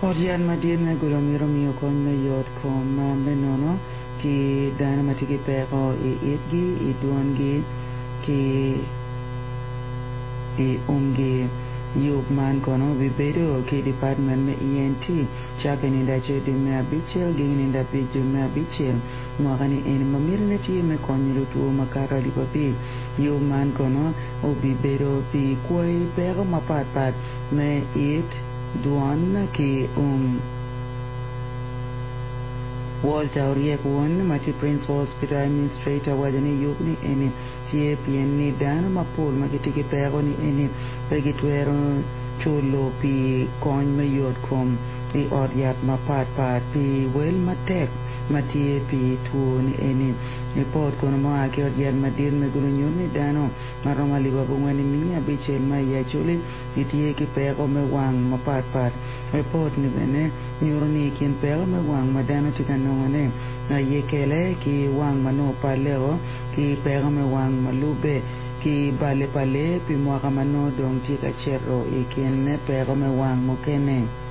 Ot yat madit me Gulu mito miyo kony me yot kom me nono ki dano ma tye ki peko i itgi, i dwongi ki i umgi. Yub man kono obibedo ki department me ENT cakke nindo acel dwe me abicel giki nindo abic dwe me abicel mwaka ni eni ma mitine tye me konyo lutwo makato 5000. Yub man kono obibedo pi kwayi peko mapatpat me it, dwon ki um. Walter Oryek Won ma tye Principal Hospital Administrator owaco ni yub ni eni tye pien ni dano mapol ma gitye ki peko ni eni pe gitwero culo pi kony me yot kom i ot yat mapat pat pi wel matek ma tye pi two ni eni. Ripot kono ma oa ki ot yat madit me Gulu nyuto ni dano ma romo 9500 ma i Acholi gitye ki peko me wang mapatpat. Ripot-ni bene nyuto ni i kin peko me wang ma dano tye ka nongone aye kele ki wang ma nongo palleo ki peko me wang ma lubbe ki balle pa lee pi mwaka ma nongo dong tye ka cito i kin peko me wang mukene.